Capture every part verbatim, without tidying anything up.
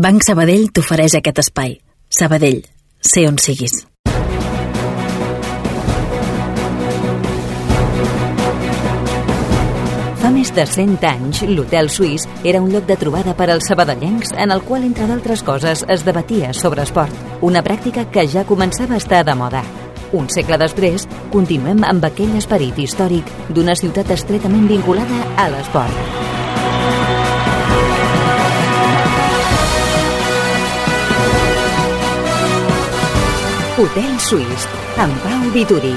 Banc Sabadell t'ofereix aquest espai. Sabadell, sé on siguis. Fa més de cent anys, l'Hotel Suís era un lloc de trobada per als sabadellencs en el qual, entre d'altres coses, es debatia sobre esport, una pràctica que ja començava a estar de moda. Un segle després, continuem amb aquell esperit històric d'una ciutat estretament vinculada a l'esport. Hotel Suís, amb Pau Vituri.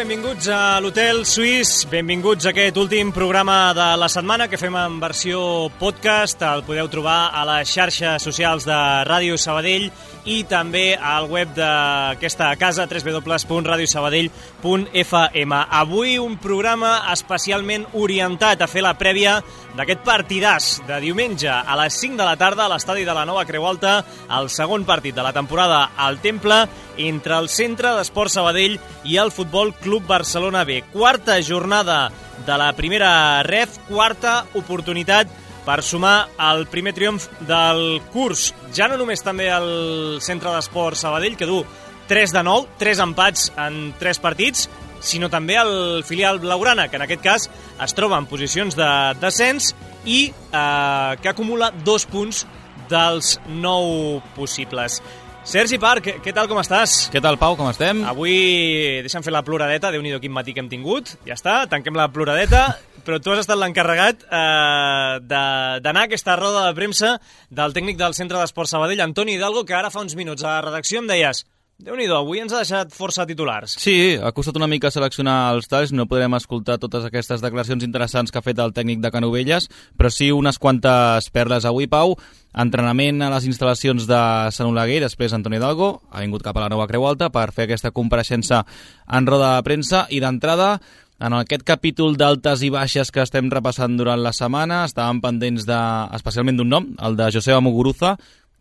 Benvinguts a l'Hotel Suís, benvinguts a aquest últim programa de la setmana que fem en versió podcast. El podeu trobar a les xarxes socials de Ràdio Sabadell i també al web d'aquesta casa, w w w punt radio sabadell punt f m. Avui un programa especialment orientat a fer la prèvia d'aquest partidàs de diumenge a les cinc de la tarda a l'estadi de la Nova Creu Alta, el segon partit de la temporada al Temple entre el Centre d'Esports Sabadell i el Futbol Club Barcelona B. Quarta jornada de la primera ref, quarta oportunitat per sumar el primer triomf del curs. Ja no només també el Centre d'Esports Sabadell, que du tres de nou, tres empats en tres partits, sinó també el filial blaugrana, que en aquest cas es troba en posicions de descens i eh, que acumula dos punts dels nou possibles. Sergi Parc, què tal, com estàs? Què tal, Pau, com estem? Avui deixa'm fer la ploradeta, Déu-n'hi-do quin matí que hem tingut, ja està, tanquem la ploradeta, però tu has estat l'encarregat eh, d'anar a aquesta roda de premsa del tècnic del Centre d'Esports Sabadell, Antoni Hidalgo, que ara fa uns minuts a la redacció em deies: Déu-n'hi-do, avui ens ha deixat força titulars. Sí, ha costat una mica seleccionar els talls, no podrem escoltar totes aquestes declaracions interessants que ha fet el tècnic de Canovelles, però sí unes quantes perles avui, Pau. Entrenament a les instal·lacions de Sant Oleguer, després Antoni Hidalgo ha vingut cap a la Nova Creu Alta per fer aquesta compareixença en roda de premsa i d'entrada, en aquest capítol d'altes i baixes que estem repassant durant la setmana, estàvem pendents de, especialment d'un nom, el de Joseba Muguruza.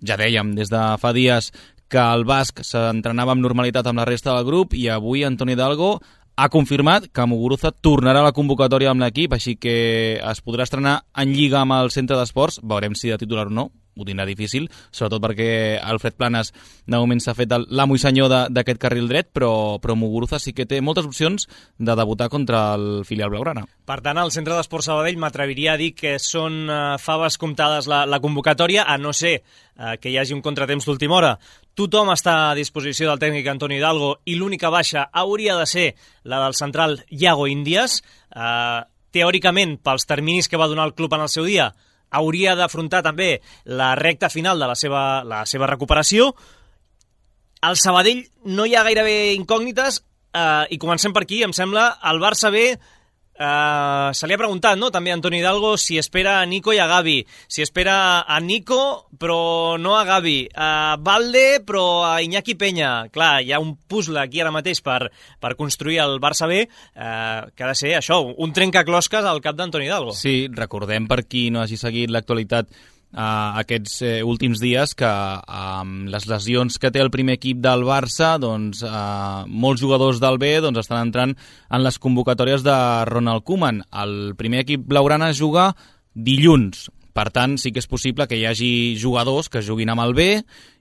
Ja dèiem des de fa dies que el basc s'entrenava amb normalitat amb la resta del grup i avui Antoni Hidalgo ha confirmat que Muguruza tornarà a la convocatòria amb l'equip, així que es podrà estrenar en Lliga amb el Centre d'Esports. Veurem si de titular o no, ho tindrà difícil, sobretot perquè Alfred Planes de moment s'ha fet l'amo i senyor d'aquest carril dret, però, però Muguruza sí que té moltes opcions de debutar contra el filial blaugrana. Per tant, al Centre d'Esports Sabadell m'atreviria a dir que són uh, faves comptades la, la convocatòria, a no ser uh, que hi hagi un contratemps d'última hora. Tothom està a disposició del tècnic Antoni Hidalgo i l'única baixa hauria de ser la del central Iago Índies. Uh, teòricament, pels terminis que va donar el club en el seu dia, hauria d'afrontar també la recta final de la seva, la seva recuperació. Al Sabadell no hi ha gairebé incògnites eh, i comencem per aquí, em sembla. El Barça B eh, se li ha preguntat, no?, també a Antoni Hidalgo si espera a Nico i a Gavi, si espera a Nico però no a Gavi, a Valde però a Iñaki Peña. Clar, hi ha un puzzle aquí ara mateix per, per construir el Barça B eh, que ha de ser això, un trencaclosques al cap d'Antoni Hidalgo. Sí, recordem, per qui no hagi seguit l'actualitat Uh, aquests uh, últims dies, que amb uh, les lesions que té el primer equip del Barça, doncs uh, molts jugadors del B doncs, estan entrant en les convocatòries de Ronald Koeman. El primer equip blaugrana juga dilluns. Per tant, sí que és possible que hi hagi jugadors que juguin amb el B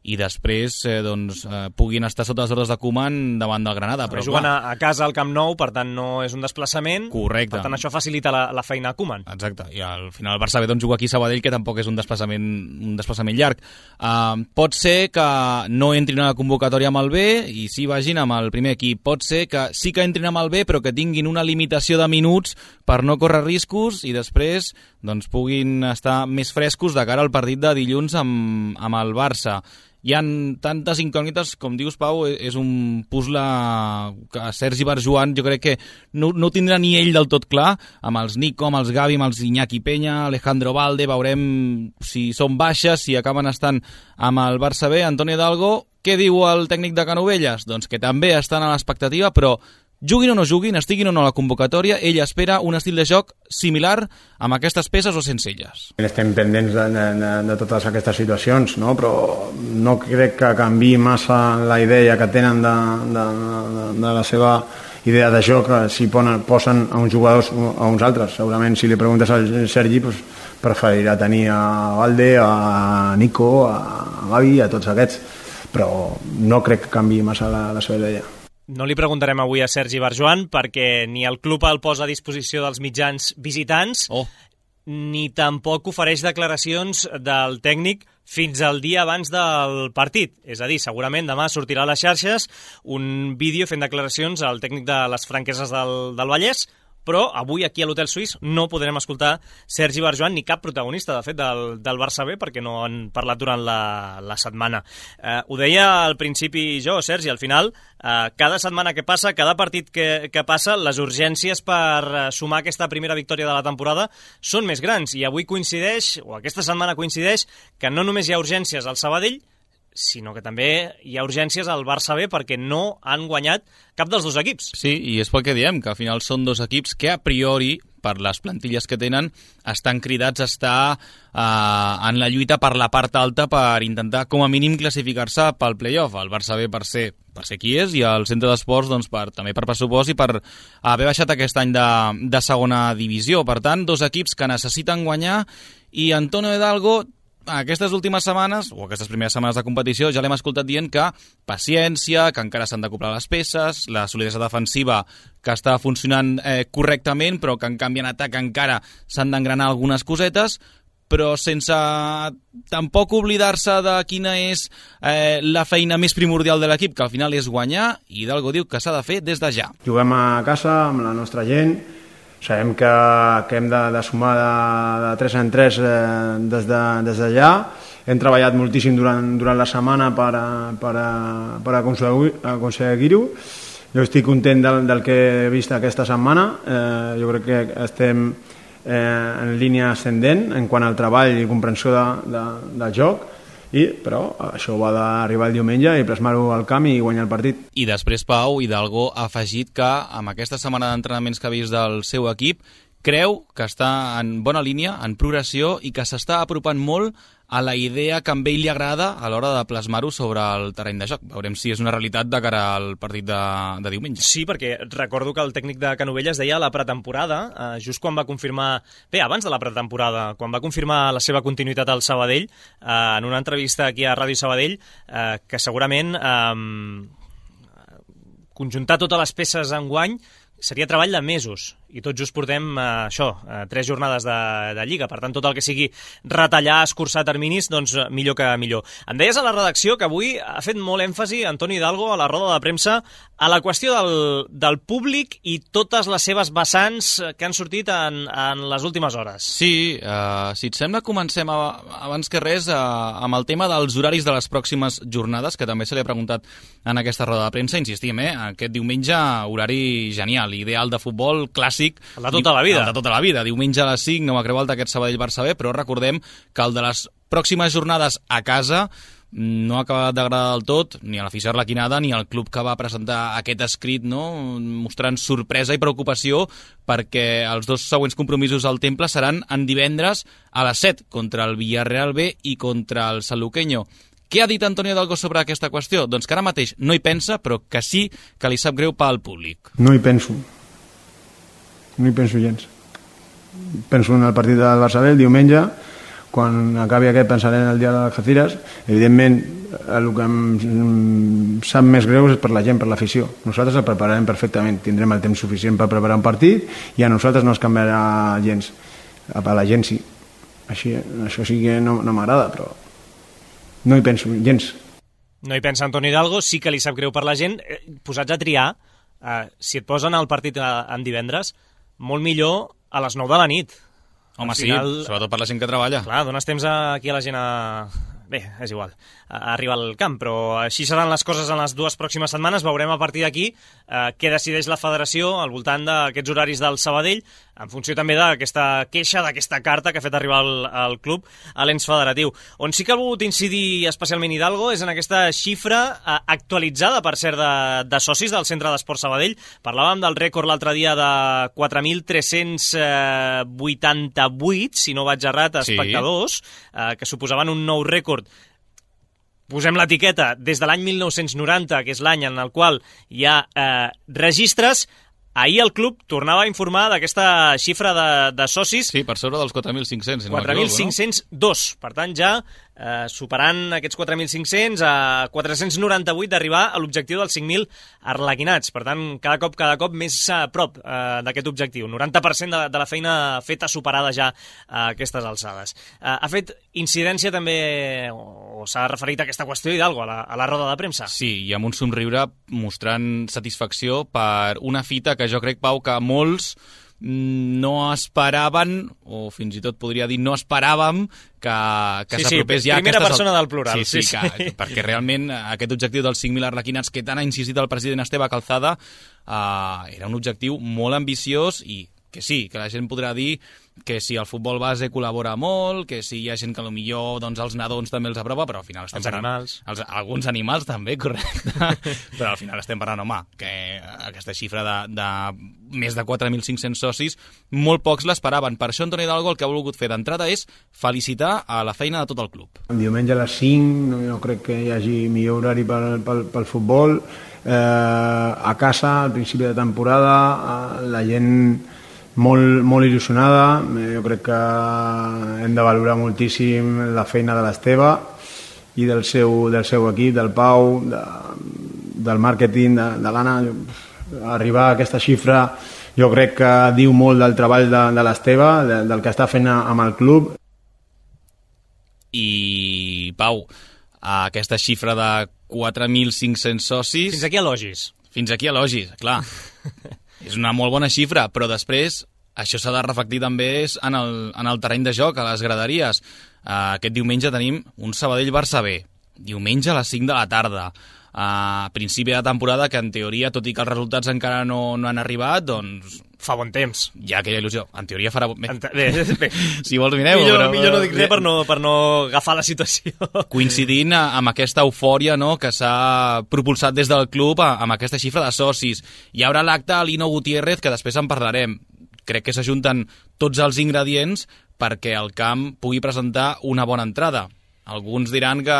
i després eh, doncs, eh, puguin estar sota les ordres de Koeman davant del Granada. Però juguen a, a casa al Camp Nou, per tant no és un desplaçament. Correcte. Per tant això facilita la, la feina a Koeman. Exacte, i al final el Barça B doncs, juga aquí a Sabadell, que tampoc és un desplaçament, un desplaçament llarg. Uh, pot ser que no entrin a la convocatòria amb el B i sí vagin amb el primer equip. Pot ser que sí que entrin amb el B però que tinguin una limitació de minuts per no córrer riscos i després doncs, puguin estar més frescos de cara al partit de dilluns amb, amb el Barça. Hi ha tantes incògnites, com dius, Pau, és un puzzle que Sergi Barjuan jo crec que no, no tindrà ni ell del tot clar, amb els Nico, amb els Gavi, amb els Iñaki Peña, Alejandro Valde. Veurem si són baixes, si acaben estant amb el Barça B. Antoni Hidalgo, què diu el tècnic de Canovelles? Doncs que també estan a l'expectativa, però juguin o no juguin, estiguin o no a la convocatòria, ell espera un estil de joc similar amb aquestes peces o sense elles. Estem pendents de, de, de totes aquestes situacions, no? Però no crec que canviï massa la idea que tenen de, de, de, de la seva idea de joc si posen a uns jugadors o a uns altres. Segurament si li preguntes al Sergi pues, preferirà tenir a Valde, a Nico, a Gavi, a tots aquests, però no crec que canvi massa la, la seva idea. No li preguntarem avui a Sergi Barjoan perquè ni el club el posa a disposició dels mitjans visitants, oh. ni tampoc ofereix declaracions del tècnic fins al dia abans del partit. És a dir, segurament demà sortirà a les xarxes un vídeo fent declaracions al tècnic de les Franqueses del, del Vallès, però avui aquí a l'Hotel Suís no podrem escoltar Sergi Barjoan ni cap protagonista, de fet, del, del Barça B, perquè no han parlat durant la, la setmana. Eh, ho deia al principi jo, Sergi, al final, eh, cada setmana que passa, cada partit que, que passa, les urgències per sumar aquesta primera victòria de la temporada són més grans, i avui coincideix, o aquesta setmana coincideix, que no només hi ha urgències al Sabadell, sinó que també hi ha urgències al Barça B perquè no han guanyat cap dels dos equips. Sí, i és pel que diem, que al final són dos equips que a priori, per les plantilles que tenen, estan cridats a estar eh, en la lluita per la part alta per intentar com a mínim classificar-se pel play-off. El Barça B per ser, per ser qui és, i el Centre d'Esports doncs, per, també per pressupost i per haver baixat aquest any de, de segona divisió. Per tant, dos equips que necessiten guanyar, i Antonio Hidalgo aquestes últimes setmanes, o aquestes primeres setmanes de competició, ja l'hem escoltat dient que paciència, que encara s'han d'acoplar les peces, la solidesa defensiva que està funcionant eh, correctament, però que en canvi en atac encara s'han d'engranar algunes cosetes, però sense tampoc oblidar-se de quina és eh, la feina més primordial de l'equip, que al final és guanyar, i Hidalgo diu que s'ha de fer des de ja. Juguem a casa amb la nostra gent, sabem que, que hem de, de sumar de, de tres en tres eh, des de, des de ja. Hem treballat moltíssim durant, durant la setmana per, per, per aconseguir-ho. Jo estic content del, del que he vist aquesta setmana. Eh, jo crec que estem eh, en línia ascendent en quant al treball i comprensió de, de, del joc. I, però això va d'arribar el diumenge i plasmar-ho al camp i guanyar el partit. I després, Pau, Hidalgo ha afegit que amb aquesta setmana d'entrenaments que ha vist del seu equip creu que està en bona línia, en progressió, i que s'està apropant molt a la idea que a ell li agrada a l'hora de plasmar-ho sobre el terreny de joc. Veurem si és una realitat de cara al partit de, de diumenge. Sí, perquè recordo que el tècnic de Canovelles deia a la pretemporada, eh, just quan va confirmar... Bé, abans de la pretemporada, quan va confirmar la seva continuïtat al Sabadell, eh, en una entrevista aquí a Ràdio Sabadell, eh, que segurament eh, conjuntar totes les peces enguany seria treball de mesos, i tot just portem eh, això, eh, tres jornades de, de Lliga. Per tant, tot el que sigui retallar, escurçar terminis, doncs millor que millor. Em deies a la redacció que avui ha fet molt èmfasi Antoni Hidalgo a la roda de premsa a la qüestió del, del públic i totes les seves vessants que han sortit en, en les últimes hores. Sí, eh, si et sembla, comencem a, abans que res a, amb el tema dels horaris de les pròximes jornades, que també se li ha preguntat en aquesta roda de premsa. Insistim, eh, aquest diumenge horari genial, ideal de futbol, clàssic. El de tota la vida. El de tota la vida. Diumenge a les cinc, no Creu Alta, aquest Sabadell-Barça B, però recordem que el de les pròximes jornades a casa no ha acabat d'agradar del tot, ni a l'afició arlequinada ni al club que va presentar aquest escrit, no? Mostrant sorpresa i preocupació perquè els dos següents compromisos al Temple seran en divendres a les set, contra el Villarreal B i contra el Sanluqueño. Què ha dit Antonio Hidalgo sobre aquesta qüestió? Doncs que ara mateix no hi pensa, però que sí que li sap greu pel públic. No hi penso. No hi penso gens. Penso en el partit del Barça B el diumenge, quan acabi aquest pensaré en el dia de les Algeciras. Evidentment, el que em sap més greu és per la gent, per l'afició. Nosaltres el prepararem perfectament, tindrem el temps suficient per preparar un partit i a nosaltres no es canviarà gens. A la gent sí. Així, això sí que no, no m'agrada, però no hi penso gens. No hi pensa Antoni Hidalgo, sí que li sap greu per la gent. Posats a triar, eh, si et posen el partit en divendres, molt millor a les nou de la nit. Home, final, sí, sobretot per la gent que treballa. Clar, dones temps aquí a la gent a... Bé, és igual, a arribar al camp, però així seran les coses en les dues pròximes setmanes. Veurem a partir d'aquí eh, què decideix la federació al voltant d'aquests horaris del Sabadell, en funció també d'aquesta queixa, d'aquesta carta que ha fet arribar el, el club a l'ens federatiu. On sí que ha volgut incidir especialment Hidalgo és en aquesta xifra eh, actualitzada, per cert, de, de socis del Centre d'Esport Sabadell. Parlàvem del rècord l'altre dia de quatre mil tres-cents vuitanta-vuit, si no vaig errat, espectadors, sí. eh, que suposaven un nou rècord. Posem l'etiqueta des de l'any mil nou-cents noranta, que és l'any en el qual hi ha eh, registres. Ahir el club tornava a informar d'aquesta xifra de, de socis. Sí, per sobre dels quatre mil cinc-cents. Si quatre mil cinc-cents dos. No? Per tant, ja eh, superant aquests quatre mil cinc-cents a quatre-cents noranta-vuit d'arribar a l'objectiu dels cinc mil arlequinats. Per tant, cada cop, cada cop més a prop eh, d'aquest objectiu. noranta per cent de, de la feina feta superada ja a aquestes alçades. Eh, ha fet incidència també, o, o s'ha referit a aquesta qüestió Hidalgo, a la, a la roda de premsa. Sí, i amb un somriure mostrant satisfacció per una fita que jo crec, Pau, que molts no esperaven, o fins i tot podria dir no esperàvem que, que sí, s'apropés sí, ja... primera aquestes... persona del plural. Sí, sí, sí, que, sí. Perquè realment aquest objectiu dels cinc mil arlequinats que tant ha insistit el president Esteve Calzada eh, era un objectiu molt ambiciós i que sí, que la gent podrà dir que si el futbol base col·labora molt, que si hi ha gent que potser doncs, els nadons també els aprova, però al final estem els parlant... Animals. Els, alguns animals també, correcte. Però al final estem parlant, home, que aquesta xifra de, de més de quatre mil cinc-cents socis, molt pocs l'esperaven. Per això Antoni Hidalgo el que ha volgut fer d'entrada és felicitar a la feina de tot el club. Diumenge a les cinc, no, no crec que hi hagi millor horari pel, pel, pel futbol. Eh, a casa, al principi de temporada, la gent... Molt, molt il·lusionada, jo crec que hem de valorar moltíssim la feina de l'Esteve i del seu, del seu equip, del Pau, de, del màrqueting, de, de l'Anna. Arribar a aquesta xifra jo crec que diu molt del treball de, de l'Esteve, de, del que està fent amb el club. I, Pau, aquesta xifra de quatre mil cinc-cents socis... Fins aquí elogis. Fins aquí elogis, clar. És una molt bona xifra, però després això s'ha de reflectir també en el, en el terreny de joc, a les graderies. Uh, aquest diumenge tenim un Sabadell-Barça B, diumenge a les cinc de la tarda. A uh, principi de temporada, que en teoria, tot i que els resultats encara no, no han arribat, doncs... Fa bon temps. Hi ha aquella il·lusió. En teoria farà... Bé, bé, bé. Si vols mireu... Millor, però, millor no dic res per no, per no agafar la situació. Coincidint amb aquesta eufòria, no?, que s'ha propulsat des del club amb aquesta xifra de socis. Hi haurà l'acte a Lino Gutiérrez, que després en parlarem. Crec que s'ajunten tots els ingredients perquè el camp pugui presentar una bona entrada. Alguns diran que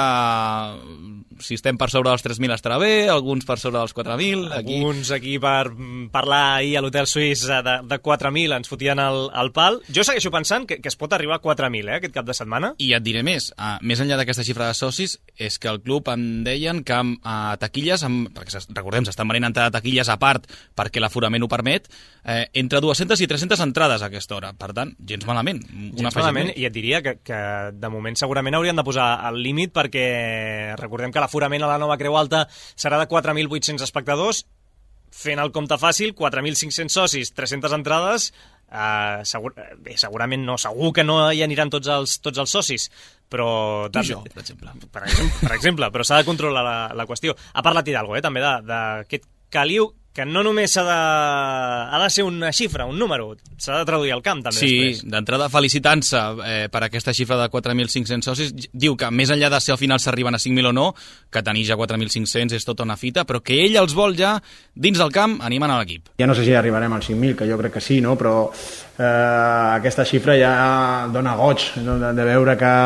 si estem per sobre dels tres mil estarà bé, alguns per sobre dels quatre mil. Aquí... Alguns aquí per parlar ahir a l'Hotel Suís de, de quatre mil ens fotien el, el pal. Jo segueixo pensant que, que es pot arribar a quatre mil eh, aquest cap de setmana. I et diré més. Uh, més enllà d'aquesta xifra de socis, és que el club em deien que amb uh, taquilles, amb, perquè recordem, s'estan venent entrada de taquilles a part perquè l'aforament ho permet, eh, entre dues-centes i tres-centes entrades a aquesta hora. Per tant, gens malament. Gens malament, i et diria que, que de moment segurament haurien de posar al límit perquè recordem que l'aforament a la nova Creu Alta serà de quatre mil vuit-cents espectadors, fent el compte fàcil, quatre mil cinc-cents socis, tres-centes entrades, eh, segur, bé, segurament no, segur que no hi aniran tots els, tots els socis, però... Tu i jo, per exemple. Per exemple, per exemple però s'ha de controlar la, la qüestió. Ha parlat Hidalgo, eh, també, d'aquest caliu que no només ha de, ha de ser una xifra, un número, s'ha de traduir al camp també. Sí, després. D'entrada felicitant-se eh, per aquesta xifra de quatre mil cinc-cents socis. Diu que més enllà de si al final s'arriben a cinc mil o no, que tenir ja quatre mil cinc-cents és tota una fita, però que ell els vol ja dins del camp animant a l'equip. Ja no sé si arribarem als cinc mil, que jo crec que sí, no? Però eh, aquesta xifra ja dona goig, no? de, de veure que,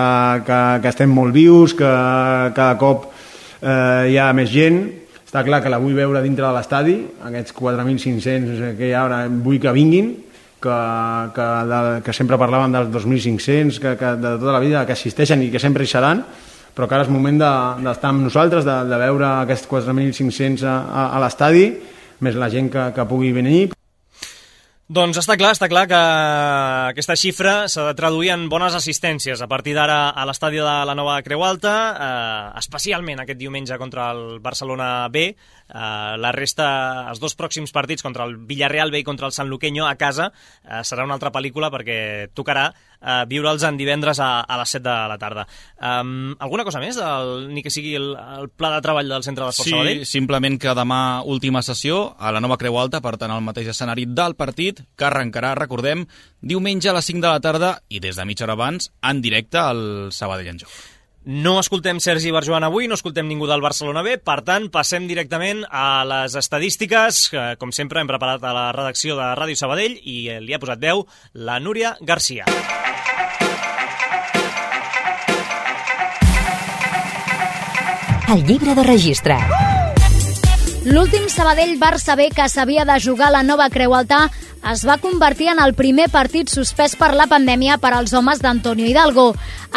que, que estem molt vius, que cada cop eh, hi ha més gent. Està clar que la vull veure dintre de l'estadi, aquests quatre mil cinc-cents que hi ha ara, vull que vinguin, que, que, de, que sempre parlaven dels dos mil cinc-cents, que, que de tota la vida, que assisteixen i que sempre hi seran, però que ara és moment d'estar de, amb nosaltres, de, de veure aquests quatre mil cinc-cents a, a, a l'estadi, més la gent que, que pugui venir. Doncs està clar, està clar que aquesta xifra s'ha de traduir en bones assistències a partir d'ara a l'estadi de la nova Creu Alta, eh, especialment aquest diumenge contra el Barcelona B. Eh, la resta, els dos pròxims partits contra el Villarreal B i contra el Sanluqueño a casa, eh, serà una altra pel·lícula perquè tocarà eh, viure'ls en divendres a, a les set de la tarda. Um, alguna cosa més, el, ni que sigui el, el pla de treball del Centre d'Esport sí, Sabadell? Sí, simplement que demà última sessió a la nova Creu Alta, per tant el mateix escenari del partit, que arrencarà, recordem, diumenge a les cinc de la tarda i des de mitja hora abans en directe al Sabadell en joc. No escoltem Sergi Barjoan avui, no escoltem ningú del Barcelona B, per tant, passem directament a les estadístiques, que, com sempre, hem preparat a la redacció de Ràdio Sabadell i li ha posat veu la Núria Garcia. El llibre de registre. L'últim Sabadell-Barça B que s'havia de jugar a la nova Creu Alta es va convertir en el primer partit suspès per la pandèmia per als homes d'Antonio Hidalgo.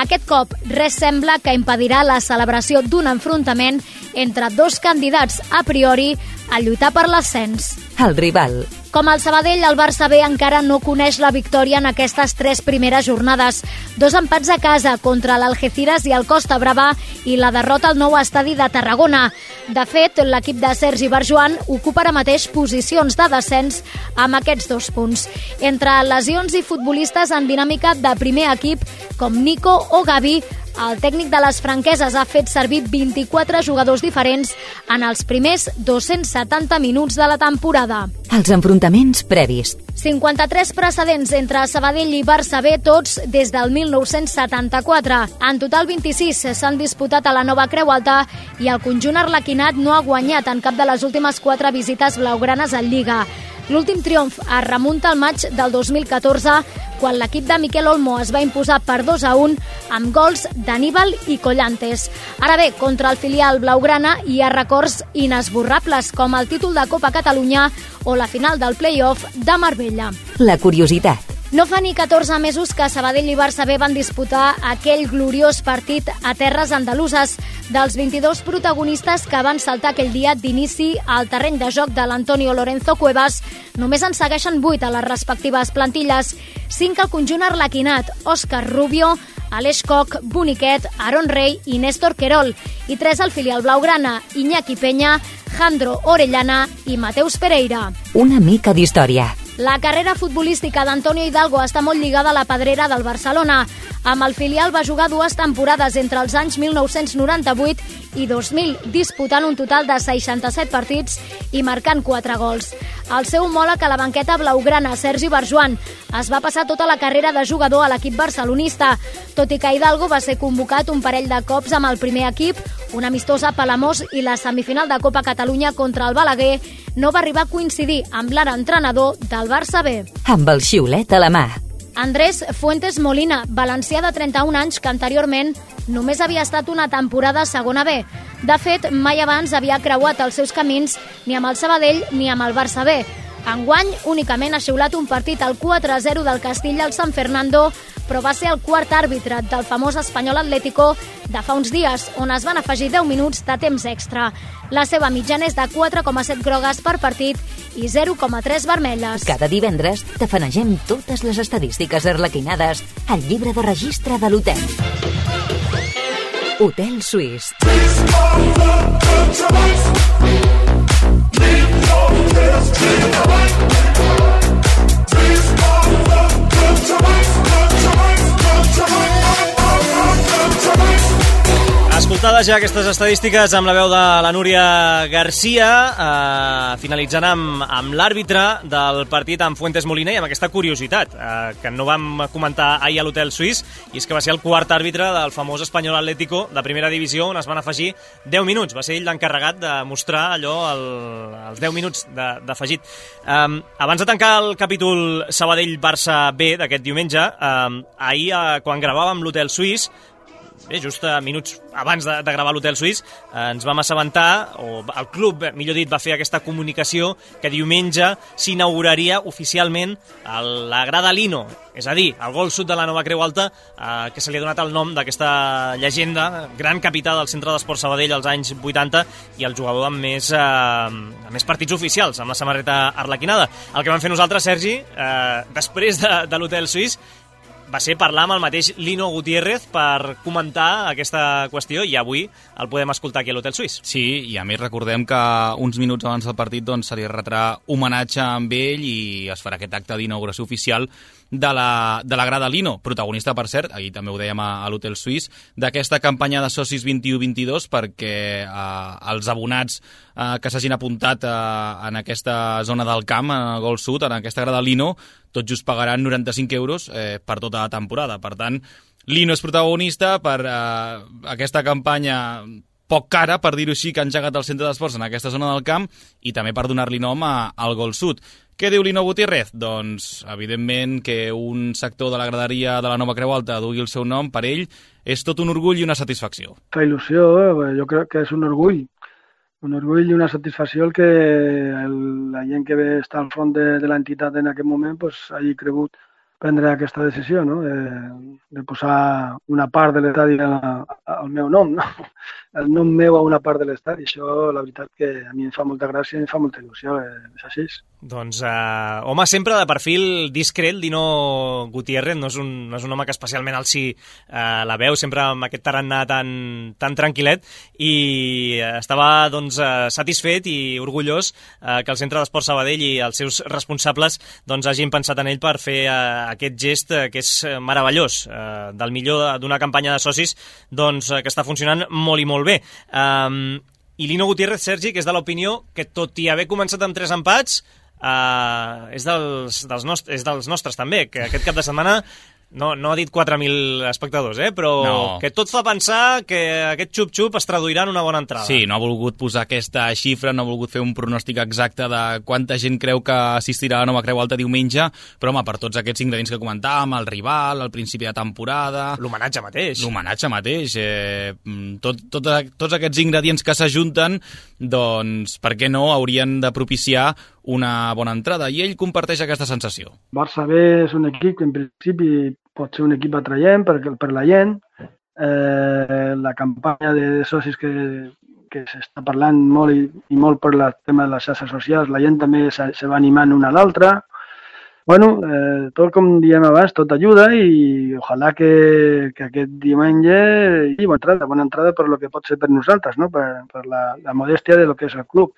Aquest cop, res sembla que impedirà la celebració d'un enfrontament entre dos candidats a priori a lluitar per l'ascens. El rival. Com el Sabadell, el Barça B encara no coneix la victòria en aquestes tres primeres jornades. Dos empats a casa contra l'Algeciras i el Costa Brava i la derrota al nou estadi de Tarragona. De fet, l'equip de Sergi Barjuan ocupa ara mateix posicions de descens amb aquests dos punts. Entre lesions i futbolistes en dinàmica de primer equip, com Nico o Gavi, el tècnic de les franqueses ha fet servir vint-i-quatre jugadors diferents en els primers dos-cents setanta minuts de la temporada. Els enfrontaments previs. cinquanta-tres precedents entre Sabadell i Barça B, tots des del mil nou-cents setanta-quatre. En total, vint-i-sis s'han disputat a la nova Creu Alta i el conjunt arlequinat no ha guanyat en cap de les últimes quatre visites blaugranes en Lliga. L'últim triomf es remunta al maig del dos mil catorze, quan l'equip de Miquel Olmo es va imposar per dos a un amb gols d'Aníbal i Collantes. Ara bé, contra el filial blaugrana hi ha records inesborrables, com el títol de Copa Catalunya o la final del play-off de Marbella. La curiositat. No fa ni catorze mesos que Sabadell i Barça B van disputar aquell gloriós partit a terres andaluses. Dels vint-i-dos protagonistes que van saltar aquell dia d'inici al terreny de joc de l'Antonio Lorenzo Cuevas, només en segueixen vuit a les respectives plantilles. Cinc al conjunt arlequinat: Òscar Rubio, Aleix Koch, Boniquet, Aaron Rey i Néstor Querol. I tres al filial blaugrana: Iñaki Peña, Jandro Orellana i Mateus Pereira. Una mica d'història. La carrera futbolística d'Antonio Hidalgo està molt lligada a la pedrera del Barcelona. Amb el filial va jugar dues temporades entre els anys mil nou-cents noranta-vuit i dos mil, disputant un total de seixanta-set partits i marcant quatre gols. El seu homòleg a la banqueta blaugrana, Sergi Barjuan, es va passar tota la carrera de jugador a l'equip barcelonista. Tot i que Hidalgo va ser convocat un parell de cops amb el primer equip, una amistosa a Palamós i la semifinal de Copa Catalunya contra el Balaguer, no va arribar a coincidir amb l'ara entrenador del Barça B. Amb el xiulet a la mà. Andrés Fuentes Molina, valencià de trenta-un anys que anteriorment només havia estat una temporada a segona B. De fet, mai abans havia creuat els seus camins ni amb el Sabadell ni amb el Barça B. Enguany, únicament ha xiulat un partit al quatre a zero del Castilla al San Fernando, però va ser el quart àrbitre del famós Espanyol Atlético de fa uns dies, on es van afegir deu minuts de temps extra. La seva mitjana és de quatre coma set grogues per partit i zero coma tres vermelles. Cada divendres tafanegem totes les estadístiques arlequinades al llibre de registre de l'hotel. Hotel Suís. Escoltades ja aquestes estadístiques amb la veu de la Núria Garcia, eh, finalitzant amb, amb l'àrbitre del partit amb Fuentes Molina i amb aquesta curiositat eh, que no vam comentar ahir a l'Hotel Suís, i és que va ser el quart àrbitre del famós Espanyol Atlético de primera divisió, on es van afegir deu minuts. Va ser ell l'encarregat de mostrar allò, el, els deu minuts d'afegit. Eh, abans de tancar el capítol Sabadell-Barça B d'aquest diumenge, eh, ahir, eh, quan gravàvem l'Hotel Suís, bé, just minuts abans de, de gravar l'Hotel Suís, eh, ens vam assabentar, o el club, millor dit, va fer aquesta comunicació que diumenge s'inauguraria oficialment el, la grada Lino, és a dir, el gol sud de la nova Creu Alta, eh, que se li ha donat el nom d'aquesta llegenda, gran capità del Centre d'Esport Sabadell als anys vuitanta i el jugador amb més, eh, amb més partits oficials, amb la samarreta arlequinada. El que vam fer nosaltres, Sergi, eh, després de, de l'Hotel Suís, va ser parlar amb el mateix Lino Gutiérrez per comentar aquesta qüestió, i avui el podem escoltar aquí a l'Hotel Suís. Sí, i a més recordem que uns minuts abans del partit doncs, se li retrà homenatge amb ell i es farà aquest acte d'inauguració oficial de la, de la grada Lino, protagonista, per cert, ahir també ho dèiem a, a l'Hotel Suís, d'aquesta campanya de socis vint-i-u vint-i-dos, perquè eh, els abonats eh, que s'hagin apuntat eh, en aquesta zona del camp, en el Gol Sud, en aquesta grada Lino, tot just pagaran noranta-cinc euros eh, per tota la temporada. Per tant, Lino és protagonista per eh, aquesta campanya poc cara, per dir-ho així, que ha engegat el centre d'esports en aquesta zona del camp, i també per donar-li nom a, al Gol Sud. Què diu Lino Gutiérrez? Doncs, evidentment, que un sector de la graderia de la nova Creu Alta dugui el seu nom per ell és tot un orgull i una satisfacció. La il·lusió, eh? Jo crec que és un orgull un orgull i una satisfacció el que el, la gent que ve està al front de, de l'entitat en aquest moment pues, hagi cregut prendre aquesta decisió, no? de, de posar una part de l'estadi al meu nom, no? El nom meu a una part de l'estadi. Això, la veritat, que a mi em fa molta gràcia i em fa molta il·lusió, és així. Doncs, eh, home, sempre de perfil discret, Lino Gutiérrez, no és un, no és un home que especialment alci eh, la veu, sempre amb aquest tarannà tan, tan tranquil·let, i estava doncs, eh, satisfet i orgullós eh, que el Centre d'Esport Sabadell i els seus responsables doncs, hagin pensat en ell per fer eh, aquest gest eh, que és meravellós, eh, del millor d'una campanya de socis doncs, eh, que està funcionant molt i molt bé. Um, I Lino Gutiérrez, Sergi, que és de l'opinió que tot i haver començat amb tres empats, uh, és, dels, dels nostres, és dels nostres també, que aquest cap de setmana no, no ha dit quatre mil espectadors, eh? Però no. Que tot fa pensar que aquest xup-xup es traduirà en una bona entrada. Sí, no ha volgut posar aquesta xifra, no ha volgut fer un pronòstic exacte de quanta gent creu que assistirà a la Nova Creu Alta diumenge, però home, per tots aquests ingredients que comentàvem, el rival, el principi de temporada... L'homenatge mateix. L'homenatge mateix. Eh, tot, tot, tots aquests ingredients que s'ajunten, doncs, per què no, haurien de propiciar una bona entrada, i ell comparteix aquesta sensació. Barça B és un equip que en principi pot ser un equip atraient per, per la gent. Eh, la campanya de socis que, que s'està parlant molt i, i molt per el tema de les xarxes socials, la gent també se, se va animant una a l'altra. Bueno, eh, tot com diem abans, tot ajuda i ojalà que, que aquest diumenge hi bona entrada, bona entrada per lo que pot ser per nosaltres, no? per, per la, la modèstia de lo que és el club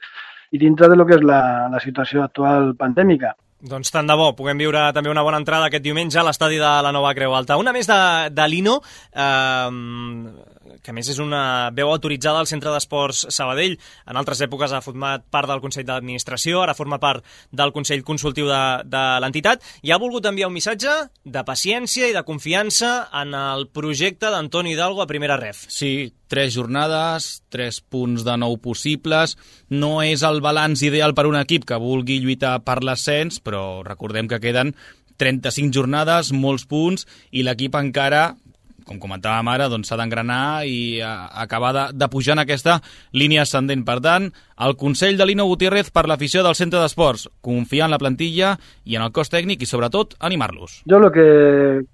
i dintre de lo que és la, la situació actual pandèmica. Doncs tant de bo, puguem viure també una bona entrada aquest diumenge a l'estadi de la Nova Creu Alta. Una més de, de Lino, eh, que a més és una veu autoritzada al Centre d'Esports Sabadell. En altres èpoques ha format part del Consell d'Administració, ara forma part del Consell Consultiu de, de l'entitat, i ha volgut enviar un missatge de paciència i de confiança en el projecte d'Antoni Hidalgo a Primera Ref. Sí, tres jornades, tres punts de nou possibles. No és el balanç ideal per un equip que vulgui lluitar per l'ascens, però recordem que queden trenta-cinc jornades, molts punts, i l'equip encara, com comentàvem ara, doncs s'ha d'engranar i acabar de, de pujar en aquesta línia ascendent. Per tant, el consell de Lino Gutiérrez per l'afició del Centre d'Esports: confiar en la plantilla i en el cos tècnic i, sobretot, animar-los. Jo el que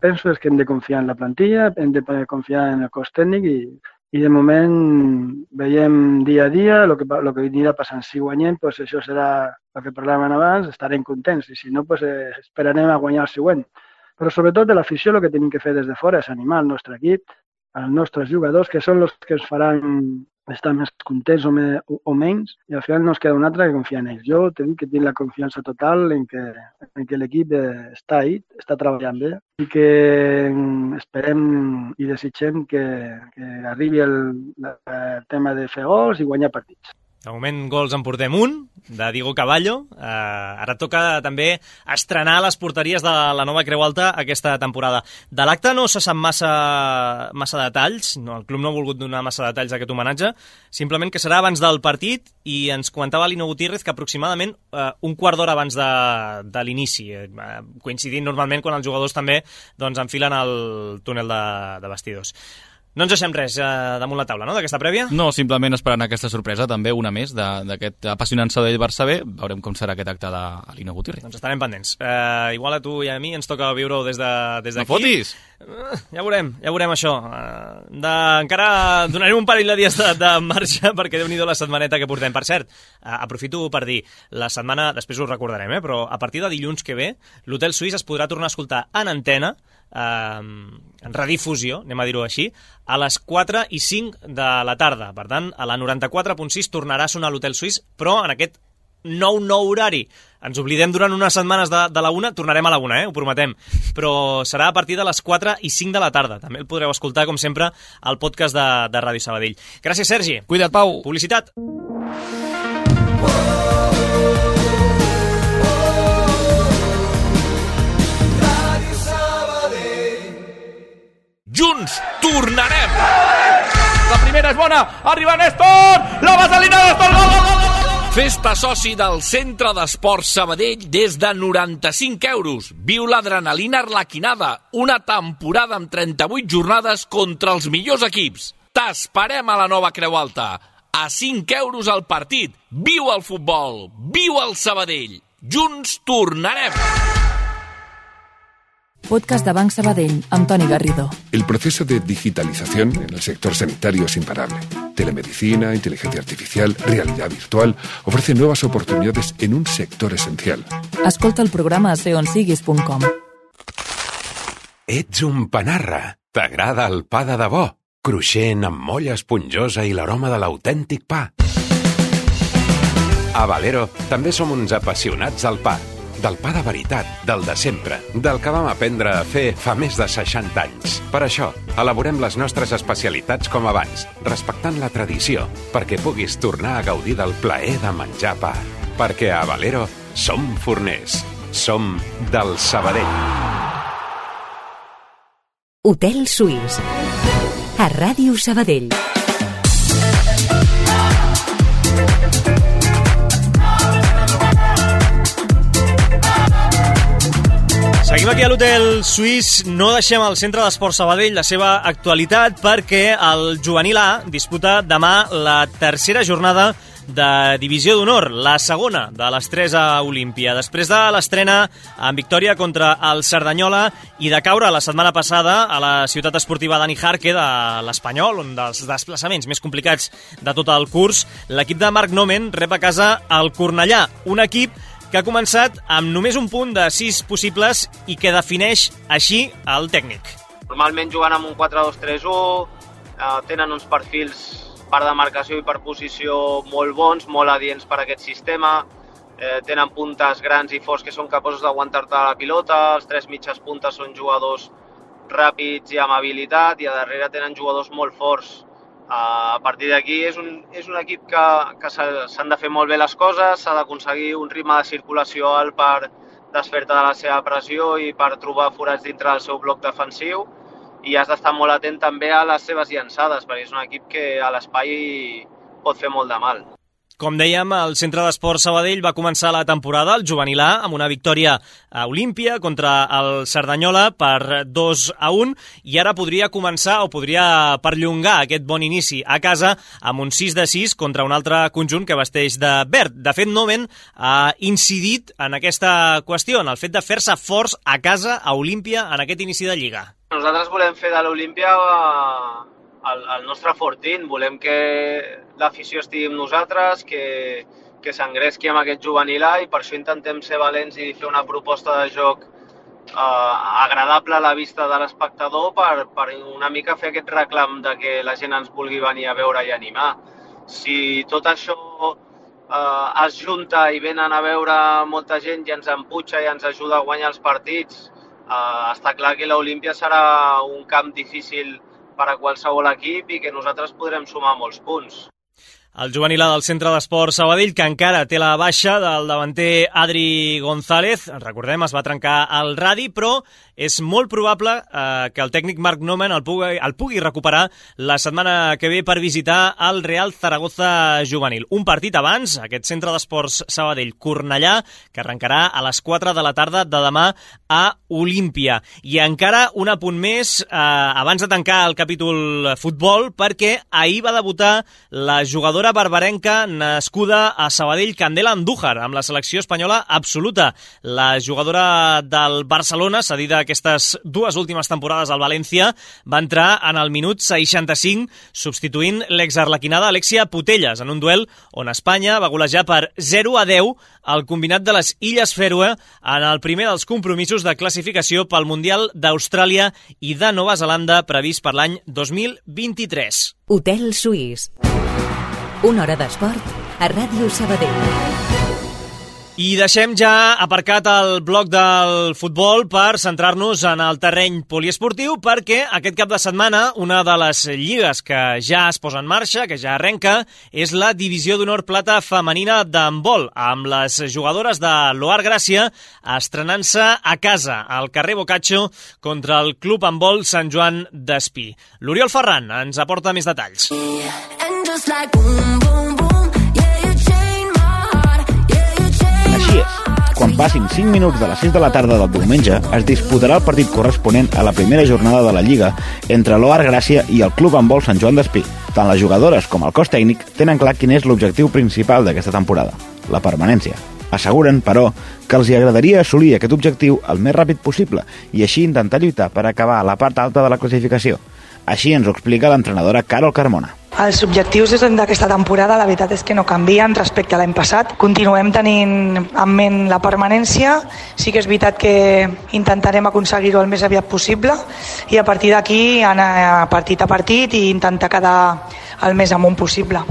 penso és que hem de confiar en la plantilla, hem de confiar en el cos tècnic i I de moment veiem dia a dia el que, lo que anirà passant. Si guanyem, pues això serà el que parlàvem abans, estarem contents, i si no, pues esperarem a guanyar el següent. Però sobretot de l'afició el que tenim que fer des de fora és animar el nostre equip, els nostres jugadors, que són els que ens faran estar més contents o, me, o, o menys, i al final no ens queda un altre que confiar en ells. Jo t'he dit que tinc la confiança total en que, en que l'equip està ahí, està treballant bé, i que esperem i desitgem que, que arribi el, el tema de fer gols i guanyar partits. De moment, gols en portem un, de Diego Caballo. Eh, ara toca també estrenar les porteries de la Nova Creu Alta aquesta temporada. De l'acte no se sap massa, massa detalls, no, el club no ha volgut donar massa detalls d'aquest homenatge, simplement que serà abans del partit, i ens comentava Lino Gutiérrez que aproximadament eh, un quart d'hora abans de, de l'inici, eh, coincidint normalment quan els jugadors també doncs, enfilen el túnel de, de vestidors. No ens deixem res eh, damunt la taula, no?, d'aquesta prèvia? No, simplement esperant aquesta sorpresa, també una més d'aquest apassionant Sabadell Barça B. Veurem com serà aquest acte de Lino Gutiérrez. Doncs estarem pendents. Eh, igual a tu i a mi ens toca viure-ho des d'aquí. De, no fotis! Eh, ja veurem, ja veurem això. Eh, de, encara donarem un parell de dies de, de marxa, perquè déu-n'hi-do la setmaneta que portem. Per cert, eh, aprofito per dir, la setmana, després ho recordarem, eh, però a partir de dilluns que ve, l'Hotel Suís es podrà tornar a escoltar en antena, eh, en redifusió, anem a dir-ho així, a les quatre i cinc de la tarda. Per tant, a la noranta-quatre punt sis tornarà a sonar l'Hotel Suís, però en aquest nou nou horari. Ens oblidem durant unes setmanes de, de la una, tornarem a la una, eh? Ho prometem. Però serà a partir de les quatre i cinc de la tarda. També el podreu escoltar, com sempre, al podcast de, de Ràdio Sabadell. Gràcies, Sergi. Cuida't, Pau. Publicitat. Junts tornarem! La primera és bona, arriba Néstor! La vaselina Néstor! Gol, gol, gol, gol! Festa soci del Centre d'Esports Sabadell des de noranta-cinc euros. Viu l'adrenalina arlequinada, una temporada amb trenta-vuit jornades contra els millors equips. T'esperem a la Nova Creu Alta. a cinc euros al partit. Viu el futbol, viu el Sabadell. Junts tornarem. Podcast de Banc Sabadell, amb Toni Garrido. El proceso de digitalización en el sector sanitario es imparable. Telemedicina, inteligencia artificial, realidad virtual ofrecen nuevas oportunidades en un sector esencial. Escolta el programa a seonsiguis punt com. Ets un panarra. T'agrada el pa de debò? Cruixent, amb molla esponjosa i l'aroma de l'autèntic pa. A Valero també som uns apassionats del pa. Del pa de veritat, del de sempre, del que vam aprendre a fer fa més de seixanta anys. Per això, elaborem les nostres especialitats com abans, respectant la tradició, perquè puguis tornar a gaudir del plaer de menjar pa. Perquè a Valero som forners, som del Sabadell. Hotel Suís, a Ràdio Sabadell. Seguim aquí a l'Hotel Suís, no deixem al Centre d'Esport Sabadell la seva actualitat perquè el Juvenil A disputa demà la tercera jornada de Divisió d'Honor, la segona de les tres a Olímpia. Després de l'estrena en victòria contra el Cerdanyola i de caure la setmana passada a la ciutat esportiva Dani Jarque de l'Espanyol, un dels desplaçaments més complicats de tot el curs, l'equip de Marc Nomen rep a casa el Cornellà, un equip que ha començat amb només un punt de sis possibles i que defineix així el tècnic. Normalment jugant amb un quatre dos tres u, eh, tenen uns perfils per demarcació i per posició molt bons, molt adients per a aquest sistema, eh, tenen puntes grans i forts que són capaços d'aguantar-te la pilota, els tres mitges puntes són jugadors ràpids i amb habilitat i a darrere tenen jugadors molt forts. A partir d'aquí és un, és un equip que, que s'han de fer molt bé les coses, s'ha d'aconseguir un ritme de circulació alt per desfer-te de la seva pressió i per trobar forats dintre del seu bloc defensiu i has d'estar molt atent també a les seves llançades perquè és un equip que a l'espai pot fer molt de mal. Com dèiem, el Centre d'Esport Sabadell va començar la temporada, el Juvenil A, amb una victòria a Olímpia contra el Cerdanyola per dos a un i ara podria començar o podria perllongar aquest bon inici a casa amb un sis de sis contra un altre conjunt que vesteix de verd. De fet, Nomen ha incidit en aquesta qüestió, en el fet de fer-se forts a casa a Olímpia en aquest inici de Lliga. Nosaltres volem fer de l'Olímpia el, el nostre fortín, volem que l'afició estigui amb nosaltres, que, que s'engresqui amb aquest Juvenil A i per això intentem ser valents i fer una proposta de joc eh, agradable a la vista de l'espectador per, per una mica fer aquest reclam de que la gent ens vulgui venir a veure i animar. Si tot això eh, es junta i venen a veure molta gent i ens emputxa i ens ajuda a guanyar els partits, eh, està clar que l'Olímpia serà un camp difícil per a qualsevol equip i que nosaltres podrem sumar molts punts. El Juvenil A del Centre d'Esport Sabadell, que encara té la baixa del davanter Adri González, recordem, es va trencar el radi, però és molt probable eh, que el tècnic Marc Nomen el pugui, el pugui recuperar la setmana que ve per visitar el Real Zaragoza Juvenil. Un partit abans, aquest Centre d'Esports Sabadell Cornellà, que arrencarà a les quatre de la tarda de demà a Olímpia. I encara un apunt més, eh, abans de tancar el capítol futbol, perquè ahir va debutar la jugadora barbarenca nascuda a Sabadell, Candela Andújar, amb la selecció espanyola absoluta. La jugadora del Barcelona, cedida aquestes dues últimes temporades al València, va entrar en el minut seixanta-cinc, substituint l'exarlequinada Alexia Putellas, en un duel on Espanya va golejar per zero a deu el combinat de les Illes Fèroe en el primer dels compromisos de classificació pel Mundial d'Austràlia i de Nova Zelanda previst per l'any dos mil vint-i-tres. Hotel Suís. Una hora d'esport a Ràdio Sabadell. I deixem ja aparcat el bloc del futbol per centrar-nos en el terreny poliesportiu perquè aquest cap de setmana una de les lligues que ja es posa en marxa, que ja arrenca, és la Divisió d'Honor Plata femenina d'handbol, amb les jugadores de l'Oar Gràcia estrenant-se a casa, al carrer Boccaccio, contra el Club Handbol Sant Joan d'Espí. L'Oriol Ferran ens aporta més detalls. Així és. Quan passin cinc minuts de les sis de la tarda del diumenge, es disputarà el partit corresponent a la primera jornada de la Lliga entre l'Oar Gràcia i el Club Handbol Sant Joan d'Espí. Tant les jugadores com el cos tècnic tenen clar quin és l'objectiu principal d'aquesta temporada, la permanència. Asseguren, però, que els hi agradaria assolir aquest objectiu el més ràpid possible i així intentar lluitar per acabar a la part alta de la classificació. Així ens ho explica l'entrenadora Carol Carmona. Els objectius d'aquesta temporada la veritat és que no canvien respecte a l'any passat. Continuem tenint en ment la permanència. Sí que és veritat que intentarem aconseguir-ho el més aviat possible i a partir d'aquí anar partit a partit i intentar quedar el més amunt possible.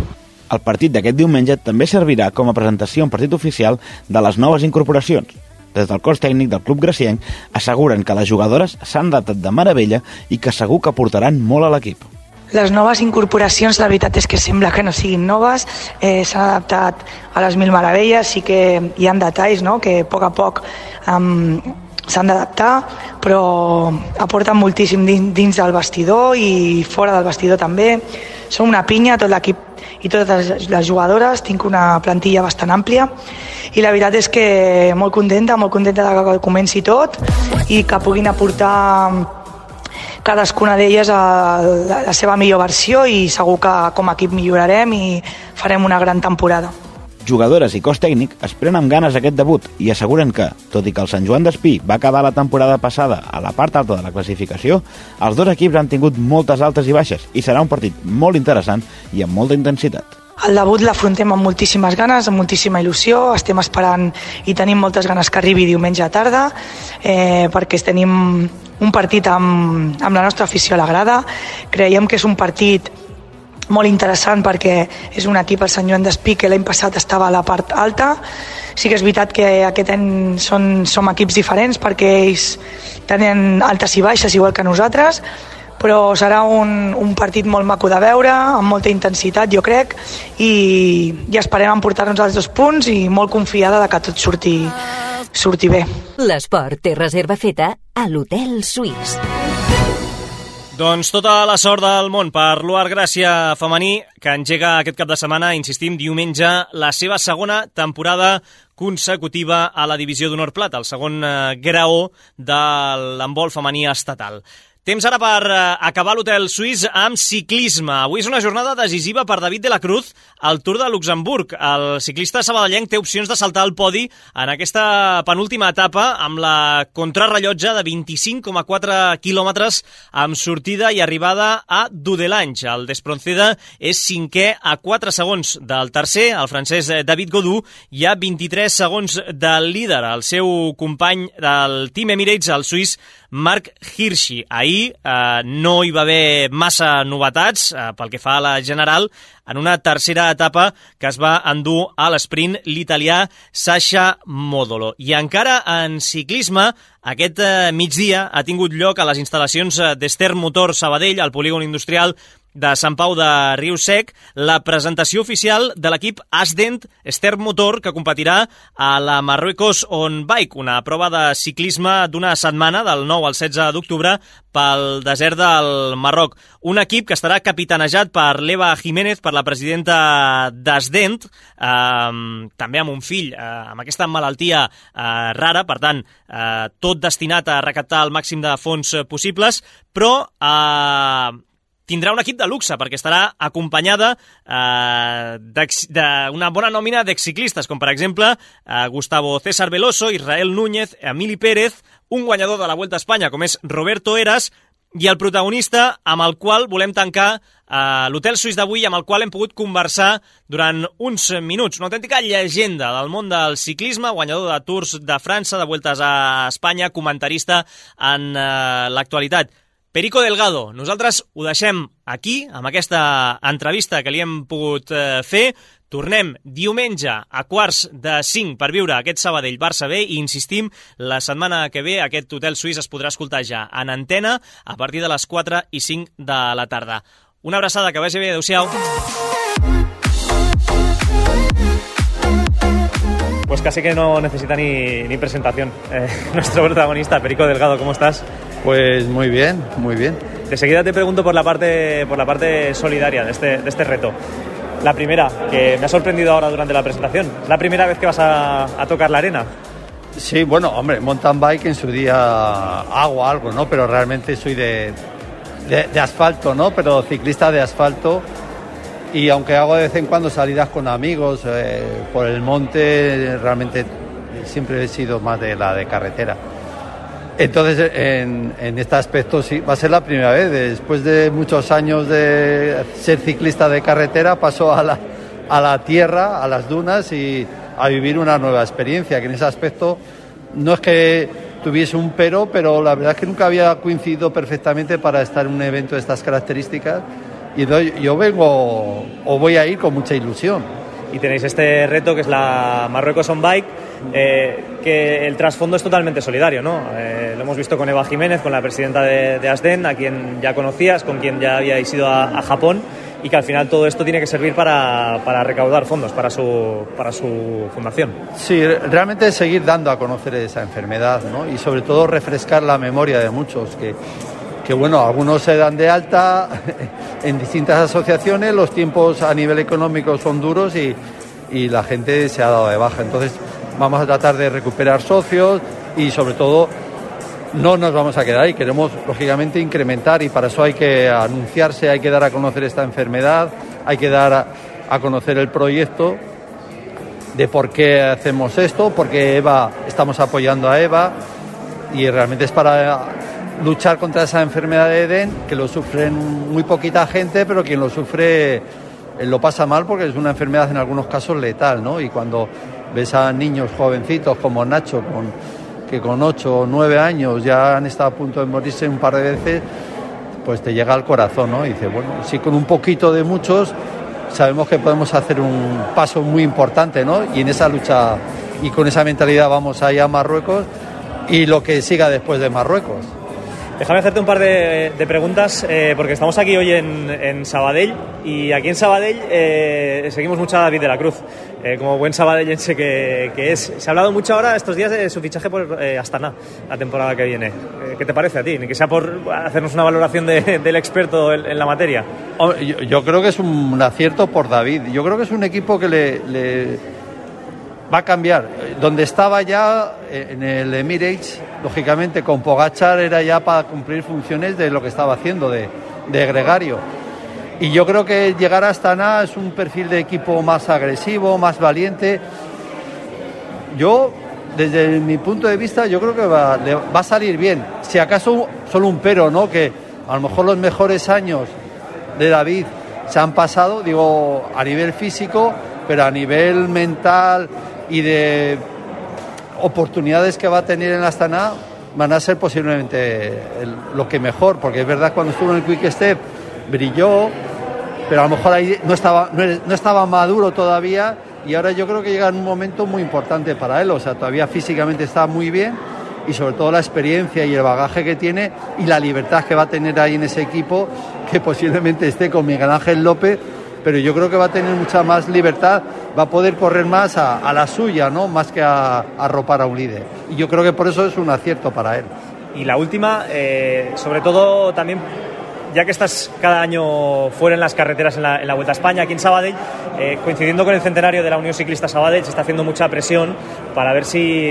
El partit d'aquest diumenge també servirà com a presentació en partit oficial de les noves incorporacions. Des del cos tècnic del club gracienc asseguren que les jugadores s'han adaptat de meravella i que segur que aportaran molt a l'equip. Les noves incorporacions, la veritat és que sembla que no siguin noves, eh, s'han adaptat a les mil meravelles, sí que hi ha detalls, no?, que a poc a poc um, s'han d'adaptar, però aporten moltíssim dins, dins del vestidor i fora del vestidor també. Som una pinya, tot l'equip i totes les jugadores, tinc una plantilla bastant àmplia i la veritat és que molt contenta, molt contenta de que comenci tot i que puguin aportar cadascuna d'elles a la seva millor versió i segur que com a equip millorarem i farem una gran temporada. Jugadores i cos tècnic esperen amb ganes aquest debut i asseguren que, tot i que el Sant Joan d'Espí va acabar la temporada passada a la part alta de la classificació, els dos equips han tingut moltes altes i baixes i serà un partit molt interessant i amb molta intensitat. El debut l'afrontem amb moltíssimes ganes, amb moltíssima il·lusió, estem esperant i tenim moltes ganes que arribi diumenge a tarda, eh, perquè tenim un partit amb, amb la nostra afició a la grada. Creiem que és un partit molt interessant perquè és un equip, el Sant Joan d'Espí, que l'any passat estava a la part alta. Sí que és veritat que aquest any són, som equips diferents perquè ells tenen altes i baixes igual que nosaltres, però serà un, un partit molt maco de veure, amb molta intensitat, jo crec, i, i esperem emportar-nos els dos punts i molt confiada de que tot surti, surti bé. L'esport té reserva feta a l'Hotel Suís. Doncs tota la sort del món per l'U A R Gràcia femení, que engega aquest cap de setmana, insistim, diumenge, la seva segona temporada consecutiva a la divisió d'honor plata, el segon eh, graó de l'handbol femení estatal. Temps ara per uh, acabar l'Hotel Suís amb ciclisme. Avui és una jornada decisiva per David de la Cruz al Tour de Luxemburg. El ciclista sabadellenc té opcions de saltar al podi en aquesta penúltima etapa amb la contrarrellotge de vint-i-cinc coma quatre quilòmetres amb sortida i arribada a Dudelange. El Despronceda és cinquè a quatre segons del tercer, el francès David Gaudu, i a vint-i-tres segons del líder, el seu company del Team Emirates, el suís Marc Hirschi. Ahir eh, no hi va haver massa novetats eh, pel que fa a la general, en una tercera etapa que es va endur a l'esprint l'italià Sasha Modolo. I encara en ciclisme, aquest eh, migdia ha tingut lloc a les instal·lacions d'Ester Motor Sabadell, al polígon industrial de Sant Pau de Riu-Sec, la presentació oficial de l'equip Asdent Ester Motor, que competirà a la Marruecos On Bike, una prova de ciclisme d'una setmana, del nou al setze d'octubre, pel desert del Marroc. Un equip que estarà capitanejat per l'Eva Jiménez, per la presidenta d'Asdent, eh, també amb un fill eh, amb aquesta malaltia eh, rara, per tant, eh, tot destinat a recaptar el màxim de fons possibles, però eh, tindrà un equip de luxe, perquè estarà acompanyada eh, d'una bona nòmina d'exciclistes, com per exemple eh, Gustavo César Veloso, Israel Núñez, Emili Pérez, un guanyador de la Vuelta a Espanya, com és Roberto Heras, i el protagonista amb el qual volem tancar eh, l'Hotel Suís d'avui, amb el qual hem pogut conversar durant uns minuts. Una autèntica llegenda del món del ciclisme, guanyador de Tours de França, de Vueltes a Espanya, comentarista en eh, l'actualitat. Perico Delgado, nosaltres ho deixem aquí, amb aquesta entrevista que li hem pogut eh, fer. Tornem diumenge a quarts de cinc per viure aquest Sabadell-Barça B i insistim, la setmana que ve aquest Hotel Suís es podrà escoltar ja en antena a partir de les quatre i cinc de la tarda. Una abraçada, que vagi bé, adeu-siau. Pues casi que no necesita ni, ni presentación. Eh, nuestro protagonista, Perico Delgado, ¿cómo estás? Pues muy bien, muy bien. De seguida te pregunto por la parte, por la parte solidaria de este, de este reto. La primera, que me ha sorprendido ahora durante la presentación. ¿La primera vez que vas a, a tocar la arena? Sí, bueno, hombre, mountain bike en su día hago algo, ¿no? Pero realmente soy de, de, de asfalto, ¿no? Pero ciclista de asfalto y aunque hago de vez en cuando salidas con amigos eh, por el monte, realmente siempre he sido más de la de carretera. Entonces, en, en este aspecto sí, va a ser la primera vez. Después de muchos años de ser ciclista de carretera, paso a la, a la tierra, a las dunas y a vivir una nueva experiencia, que en ese aspecto no es que tuviese un pero, pero la verdad es que nunca había coincidido perfectamente para estar en un evento de estas características y yo vengo o voy a ir con mucha ilusión. Y tenéis este reto que es la Marruecos on Bike, eh, que el trasfondo es totalmente solidario, ¿no? Eh, lo hemos visto con Eva Jiménez, con la presidenta de, de Asden, a quien ya conocías, con quien ya habíais ido a, a Japón, y que al final todo esto tiene que servir para, para recaudar fondos para su, para su fundación. Sí, realmente seguir dando a conocer esa enfermedad, ¿no? Y sobre todo refrescar la memoria de muchos que... que bueno, algunos se dan de alta en distintas asociaciones, los tiempos a nivel económico son duros y, y la gente se ha dado de baja. Entonces vamos a tratar de recuperar socios y sobre todo no nos vamos a quedar ahí, queremos lógicamente incrementar y para eso hay que anunciarse, hay que dar a conocer esta enfermedad, hay que dar a, a conocer el proyecto de por qué hacemos esto, porque Eva, estamos apoyando a Eva y realmente es para luchar contra esa enfermedad de Edén, que lo sufren muy poquita gente, pero quien lo sufre eh, lo pasa mal porque es una enfermedad en algunos casos letal, ¿no? Y cuando ves a niños jovencitos como Nacho, con, que con ocho o nueve años ya han estado a punto de morirse un par de veces, pues te llega al corazón, ¿no? Y dices, bueno, sí, con un poquito de muchos sabemos que podemos hacer un paso muy importante, ¿no? Y en esa lucha y con esa mentalidad vamos allá a Marruecos y lo que siga después de Marruecos. Déjame hacerte un par de, de preguntas, eh, porque estamos aquí hoy en, en Sabadell y aquí en Sabadell eh, seguimos mucho a David de la Cruz, eh, como buen sabadellense que, que es. Se ha hablado mucho ahora estos días de su fichaje por eh, Astana, la temporada que viene. Eh, ¿Qué te parece a ti? Ni que sea por hacernos una valoración de, del experto en, en la materia. Yo, yo creo que es un acierto por David. Yo creo que es un equipo que le... le... va a cambiar. Donde estaba ya en el Emirates, lógicamente con Pogačar era ya para cumplir funciones de lo que estaba haciendo, de, de gregario. Y yo creo que llegar a Astana es un perfil de equipo más agresivo, más valiente. Yo, desde mi punto de vista, yo creo que va, le, va a salir bien. Si acaso solo un pero, ¿no? Que a lo mejor los mejores años de David se han pasado, digo, a nivel físico, pero a nivel mental y de oportunidades que va a tener en la Astana van a ser posiblemente el, lo que mejor, porque es verdad cuando estuvo en el Quick Step brilló, pero a lo mejor ahí no estaba, no, no estaba maduro todavía y ahora yo creo que llega en un momento muy importante para él, o sea, todavía físicamente está muy bien y sobre todo la experiencia y el bagaje que tiene y la libertad que va a tener ahí en ese equipo, que posiblemente esté con Miguel Ángel López, pero yo creo que va a tener mucha más libertad, va a poder correr más a, a la suya, ¿no? Más que a, a arropar a un líder. Y yo creo que por eso es un acierto para él. Y la última, eh, sobre todo también, ya que estás cada año fuera en las carreteras en la, en la Vuelta a España, aquí en Sabadell, eh, coincidiendo con el centenario de la Unión Ciclista Sabadell, se está haciendo mucha presión para ver si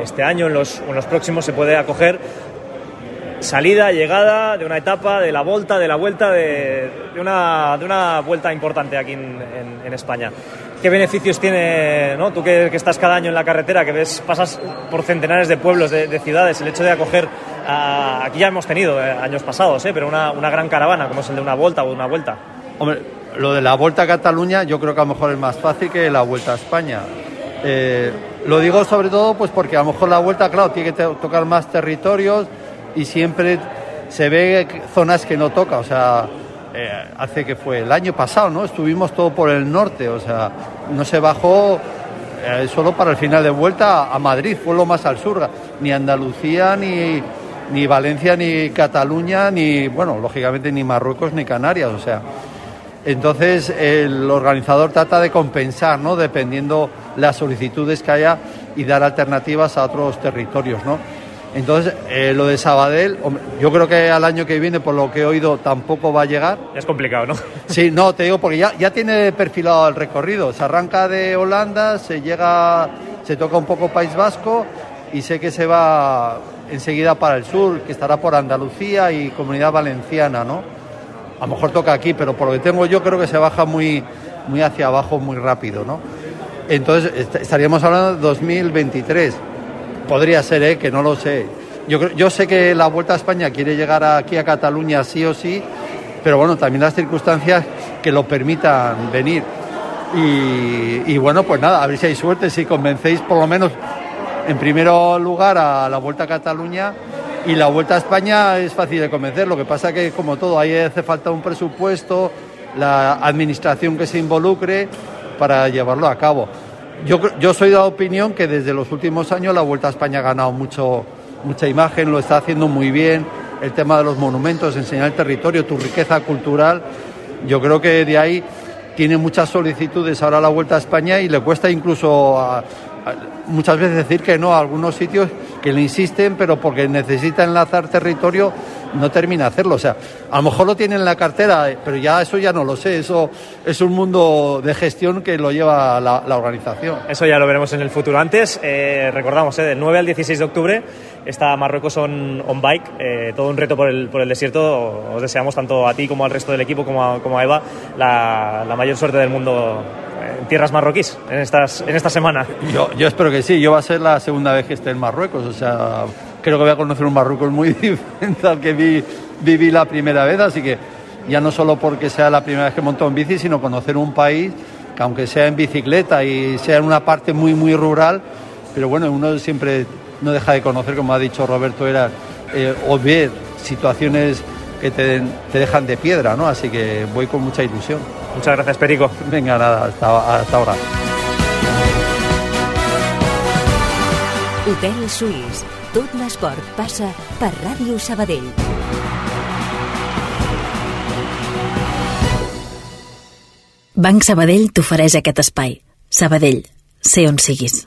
este año, en los, en los próximos, se puede acoger salida, llegada de una etapa, de la Volta, de la Vuelta, de, de, una, de una vuelta importante aquí en, en, en España. ¿Qué beneficios tiene, ¿no? Tú que, que estás cada año en la carretera, que ves, pasas por centenares de pueblos, de, de ciudades, el hecho de acoger, a, aquí ya hemos tenido eh, años pasados, eh, pero una, una gran caravana, como es el de una Volta o de una Vuelta? Hombre, lo de la Vuelta a Cataluña yo creo que a lo mejor es más fácil que la Vuelta a España. Eh, lo digo sobre todo pues porque a lo mejor la Vuelta, claro, tiene que te- tocar más territorios y siempre se ve zonas que no toca, o sea, eh, hace que fue el año pasado, ¿no? Estuvimos todo por el norte, o sea, no se bajó eh, solo para el final de Vuelta a Madrid, fue lo más al sur, ni Andalucía, ni, ni Valencia, ni Cataluña, ni, bueno, lógicamente ni Marruecos, ni Canarias, o sea, entonces el organizador trata de compensar, ¿no? Dependiendo las solicitudes que haya y dar alternativas a otros territorios, ¿no? Entonces, eh, lo de Sabadell, hombre, yo creo que al año que viene, por lo que he oído, tampoco va a llegar. Es complicado, ¿no? Sí, no, te digo, porque ya, ya tiene perfilado el recorrido. Se arranca de Holanda, se llega, se toca un poco País Vasco y sé que se va enseguida para el sur, que estará por Andalucía y Comunidad Valenciana, ¿no? A lo mejor toca aquí, pero por lo que tengo yo creo que se baja muy, muy hacia abajo muy rápido, ¿no? Entonces est- estaríamos hablando de dos mil veintitrés. Podría ser, ¿eh? Que no lo sé. Yo, creo- yo sé que la Vuelta a España quiere llegar aquí a Cataluña sí o sí, pero bueno, también las circunstancias que lo permitan venir. Y, y bueno, pues nada, a ver si hay suerte, si convencéis por lo menos en primer lugar a la Vuelta a Cataluña. Y la Vuelta a España es fácil de convencer, lo que pasa que como todo, ahí hace falta un presupuesto, la administración que se involucre para llevarlo a cabo. Yo, yo soy de la opinión que desde los últimos años la Vuelta a España ha ganado mucho, mucha imagen, lo está haciendo muy bien, el tema de los monumentos, enseñar el territorio, tu riqueza cultural, yo creo que de ahí tiene muchas solicitudes ahora la Vuelta a España y le cuesta incluso a, a, muchas veces decir que no a algunos sitios que le insisten, pero porque necesita enlazar territorio no termina de hacerlo. O sea, a lo mejor lo tiene en la cartera, pero ya eso ya no lo sé. Eso es un mundo de gestión que lo lleva la, la organización. Eso ya lo veremos en el futuro. Antes, eh, recordamos, eh, del nueve al dieciséis de octubre está Marruecos on, on Bike, eh, todo un reto por el, por el desierto. Os deseamos tanto a ti como al resto del equipo, como a, como a Eva, la, la mayor suerte del mundo en tierras marroquíes en, estas, en esta semana. Yo, yo espero que sí. Yo va a ser la segunda vez que esté en Marruecos. O sea, creo que voy a conocer un Marruecos muy diferente al que vi, viví la primera vez. Así que ya no solo porque sea la primera vez que monto en bici, sino conocer un país que aunque sea en bicicleta y sea en una parte muy, muy rural, pero bueno, uno siempre no deja de conocer, como ha dicho Roberto, era eh, o ver situaciones que te, te dejan de piedra, ¿no? Así que voy con mucha ilusión. Muchas gracias, Perico. Venga, nada, hasta, hasta ahora. Hotel Suís. Tot l'esport passa per Ràdio Sabadell. Banc Sabadell t'ofereix aquest espai. Sabadell, sé on siguis.